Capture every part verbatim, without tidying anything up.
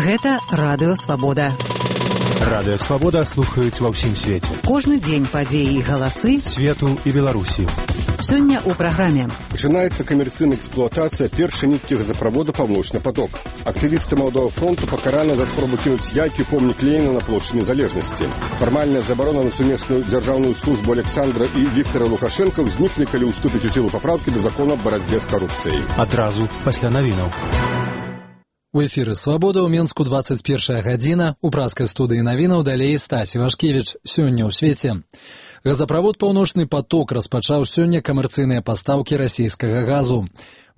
Гэта Радыё Свабода. Радыё Свабода слухаюць ва ўсім свеце. Кожны дзень падзеі і галасы свету і Беларусі. Сёння ў праграме. Пачынаецца камерцыйная эксплуатацыя першай ніткі газаправода «Паўночны поток». Актывісты Маладога фронту пакараны за спробу кінуць яйкі ў помнік Леніна на плошчы Незалежнасці. Фармальная забарона на сумесную дзяржаўную службу Александра і Віктора Лукашенка ўзнікне, калі ўступіць у сілу папраўкі да закона аб барацьбе з карупцыяй. Адразу пасля навінаў. У эфіры «Свабода» ў Менску дваццаць першая гадзіна. У праскай студыі навінаў далей Стасі Вашкевіч. Сёння ў свеце. Газаправод «Паўночны поток» распачаў сёння камерцыйныя пастаўкі расійскага газу.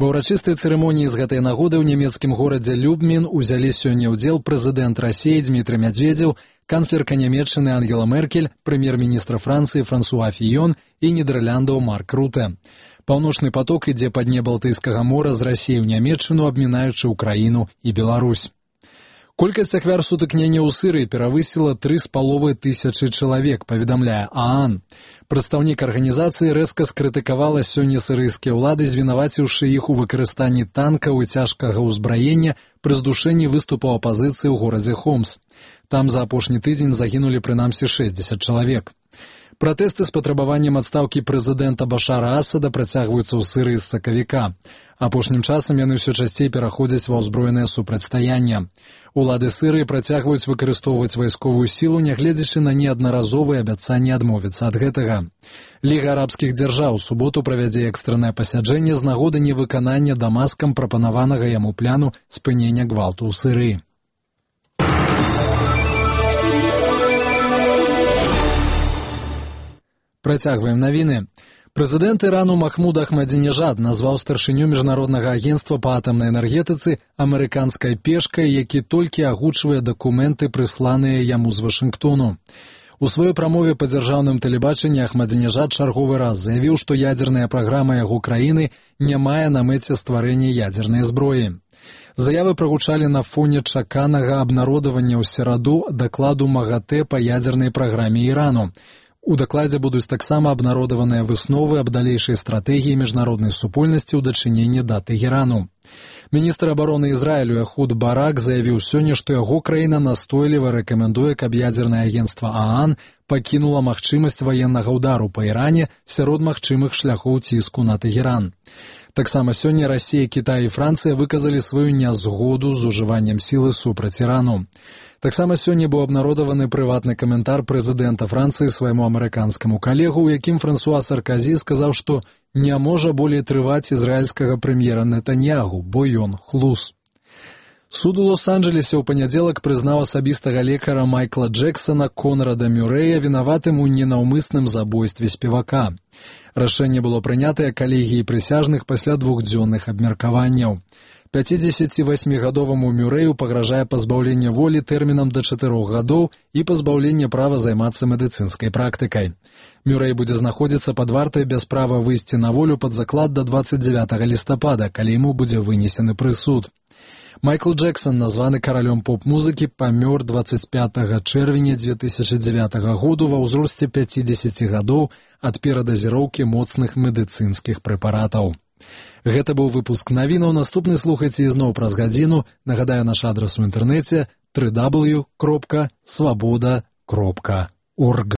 Ва ўрачыстай цырымоніі з гэтай нагоды ў нямецкім горадзе Любмін узялі сёння ўдзел прэзідэнт Расіі Дмітрый Медведзеў, канцлерка Нямецчыны Ангела Меркель, прэм'ер-міністр Францыі Франсуа Фіён і Нідэрляндаў Марк Руте. «Паўночны поток» ідзе па дне Балтыйскага мора з Расіі ў Нямецчыну, абмінаючы ўкраіну і Беларусь. Колькасць ахвяр сутыкнення ў Сырыі перавысіла тры з паловай тысячы чалавек, паведамляе ААН. Прадстаўнік арганізацыі рэзка скрытыкавала сёння сырыйскія ўлады, звінаваціўшы іх у выкарыстанні танкаў і цяжкага ўзбраення пры здушэнні выступаў апазіцыі ў горадзе Хомс. Там за апошні тыдзень загінулі прынамсі шэсцьдзесят чалавек. Пратэсты з патрабаваннем адстаўкі прэзідэнта Башара Асада працягваюцца ў Сырыі з сакавіка. Апошнім часам яны ўсё часцей пераходзяць ва ўзброенае супрацьстаянне. Улады Сырыі працягваюць выкарыстоўваць вайсковую сілу, нягледзячы на неаднаразовыя абяцанні адмовіцца ад гэтага. Ліга арабскіх дзяржаў у суботу правядзе экстраннае пасяджэнне з нагоды невыканання Дамаскам прапанаванага яму пляну спынення гвалту ў Сырыі. Працягваем навіны. Прэзідэнт Ірану Махмуд Ахмадзінежад назваў старшыню міжнароднага агенцтва па атамнай энергетыцы амерыканскай пешкай, які толькі агучвае дакументы, прысланыя яму з Вашынгтону. У сваёй прамове па дзяржаўным тэлебачанні Ахмадзінежад чарговы раз заявіў, што ядзерная праграма яго краіны не мае на мэце стварэння ядзернай зброі. Заявы прагучалі на фоне чаканага абнародавання ў сераду дакладу МАГАТЭ па ядзернай праграме Ірану. У дакладзе будуць таксама абнародаваныя высновы аб далейшай стратэгіі міжнароднай супольнасці ў дачыненні да Тэхерану. Міністр абароны Ізраілю Эхуд Барак заявіў сёння, што яго краіна настойліва рэкамендуе, каб ядзернае агенцтва ААН пакінула магчымасць ваеннага ўдару па Іране сярод магчымых шляхоў ціску на Тэхеран. Таксама сёння Расія, Кітай і Францыя выказалі сваю нязгоду з ужываннем сілы супраць Ірану. Таксама сёння быў абнародаваны прыватны каментар прэзідэнта Францыі свайму амерыканскаму калегу, у якім Франсуа Сарказі сказаў, што не можа болей трываць ізраільскага прэм'ера Нетаньягу, бо ён хлус. Суд у Лос-Анджелесе ў панядзелак прызнаў асабістага лекара Майкла Джексона Конрада Мюрэя вінаватым у ненаўмысным забойстве спевака. Рашэнне было прынятае калегіяй прысяжных пасля двухдзённых абмеркаванняў. пяцідзесяцівасьмігадоваму Мюрэю пагражае пазбаўленне волі тэрмінам да чатырох гадоў і пазбаўленне права займацца медыцынскай практыкай. Мюрэй будзе знаходзіцца пад вартай без права выйсці на волю пад заклад да дваццаць дзявятага лістапада, калі яму будзе вынесены прысуд. Майкл Джексон, названы каралём поп-музыкі, памёр дваццаць пятага чэрвеня дзве тысячы дзевятага году ва ўзросце пяцідзесяці гадоў ад перадазіроўкі моцных медыцынскіх прэпаратаў. Гэта быў выпуск навінаў. Наступны слухайце ізноў праз гадзіну. Нагадаю, наш адрас у інтэрнэце дабл ю дабл ю дабл ю кропка свабода кропка орг.